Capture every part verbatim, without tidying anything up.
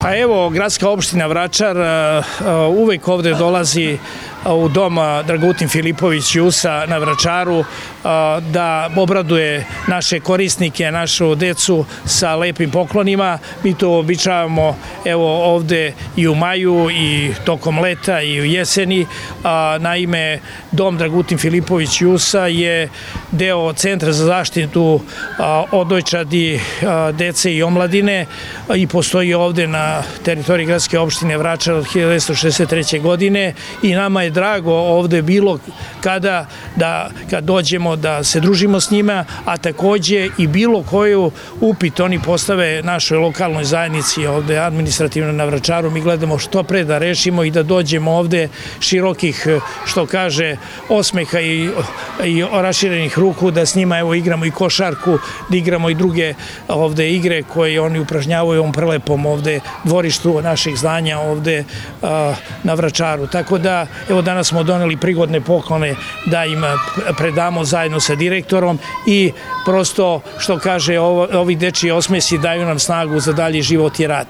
Pa evo, gradska opština Vračar uvek ovde dolazi u dom Dragutin Filipović Jusa na Vračaru da obraduje naše korisnike, našu decu sa lepim poklonima. Mi to običavamo evo ovde i u maju i tokom leta i u jeseni. Naime, dom Dragutin Filipović Jusa je deo Centra za zaštitu odojčadi, dece i omladine i postoji ovde na teritoriji gradske opštine Vračar od hiljadu devetsto šezdeset treće. godine i nama je drago ovde bilo kada da kad dođemo da se družimo s njima, a takođe i bilo koju upit oni postave našoj lokalnoj zajednici ovde administrativno na Vračaru. Mi gledamo što pre da rešimo i da dođemo ovde širokih, što kaže, osmeha i, i raširenih ruku, da s njima evo igramo i košarku, da igramo i druge ovde igre koje oni upražnjavaju u ovom prelepom ovde dvorištu naših zdanja ovde a, na Vračaru. Tako da, evo danas smo doneli prigodne poklone da im predamo zajedno sa direktorom i prosto, što kaže, ovo, ovi dečiji osmesi daju nam snagu za dalji život i rad.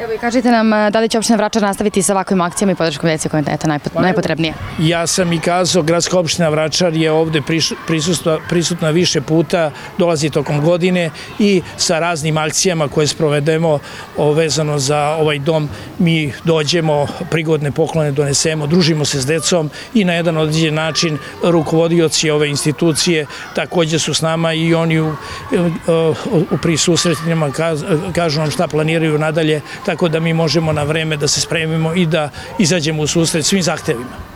Evo i kažite nam da li će opština Vračar nastaviti sa ovakvim akcijama i podrškom dece koja je najpotrebnije? Ja sam i kazao, gradska opština Vračar je ovde prisutna, prisutna više puta, dolazi tokom godine i sa raznim akcijama koje sprovedemo vezano za ovaj dom. Mi dođemo, prigodne poklone donesemo, družimo se s decom i na jedan određen način rukovodioci ove institucije takođe su s nama i oni u, u prisusretima kažu nam šta planiraju nadalje, tako da mi možemo na vreme da se spremimo i da izađemo u susret svim zahtevima.